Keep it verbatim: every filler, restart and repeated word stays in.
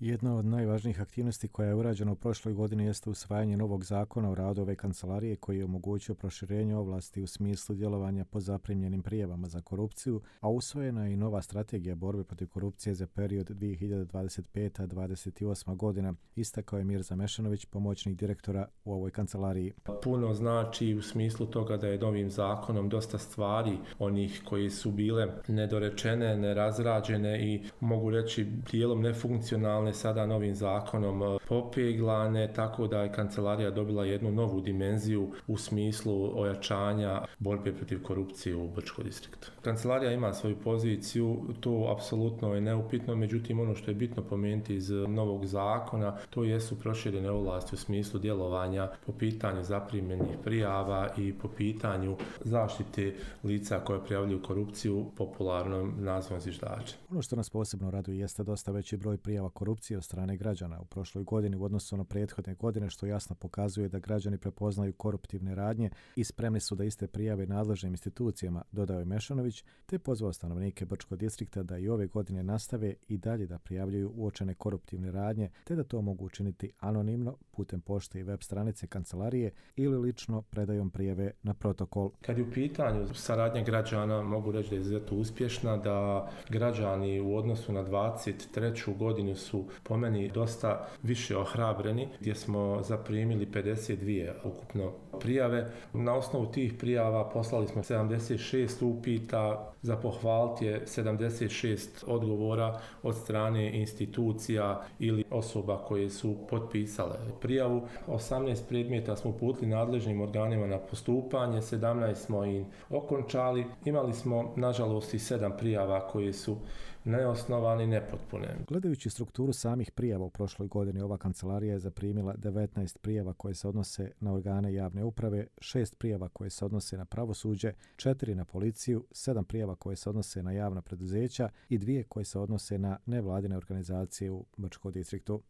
Jedna od najvažnijih aktivnosti koja je urađena u prošloj godini jeste usvajanje novog zakona o radu ove kancelarije koji je omogućio proširenje ovlasti u smislu djelovanja po zaprimljenim prijavama za korupciju, a usvojena je i nova strategija borbe protiv korupcije za period dvije hiljade dvadeset peta do dvadeset osma godina, istakao je Mirza Mešanović, pomoćnik direktora u ovoj kancelariji. Puno znači u smislu toga da je novim zakonom dosta stvari onih koji su bile nedorečene, nerazrađene i mogu reći dijelom nefunkcionalne sada novim zakonom popeglane, tako da je kancelarija dobila jednu novu dimenziju u smislu ojačanja borbe protiv korupcije u Brčkom distriktu. Kancelarija ima svoju poziciju, to apsolutno je neupitno, međutim ono što je bitno pomenuti iz novog zakona, to jesu proširene ovlasti u smislu djelovanja po pitanju zaprimljenih prijava i po pitanju zaštite lica koje prijavljuju korupciju, popularnom nazivom zviždači. Ono što nas posebno raduje jeste dosta veći broj prijava korupcije od strane građana u prošloj godini u odnosu na prethodne godine, što jasno pokazuje da građani prepoznaju koruptivne radnje i spremni su da iste prijave nadležnim institucijama, dodao je Mešanović, te pozvao stanovnike Brčkog distrikta da i ove godine nastave i dalje da prijavljuju uočene koruptivne radnje, te da to mogu učiniti anonimno putem pošte i web stranice kancelarije ili lično predajom prijave na protokol. Kad je u pitanju saradnja građana, mogu reći da je izuzetno uspješna, da građani u odnosu na dvadeset treću godinu su po meni dosta više ohrabreni, gdje smo zaprimili pedeset dvije ukupno prijave. Na osnovu tih prijava poslali smo sedamdeset šest upita, za pohvaliti je sedamdeset šest odgovora od strane institucija ili osoba koje su potpisale prijavu. osamnaest predmeta smo uputili nadležnim organima na postupanje, sedamnaest smo im okončali. Imali smo, nažalost, i sedam prijava koje su neosnovane i nepotpune. Gledajući strukturu samih prijava u prošloj godini, ova kancelarija je zaprimila devetnaest prijava koje se odnose na organe javne uprave, šest prijava koje se odnose na pravosuđe, četiri na policiju, sedam prijava koje se odnose na javna preduzeća i dvije koje se odnose na nevladine organizacije u Brčkom distriktu.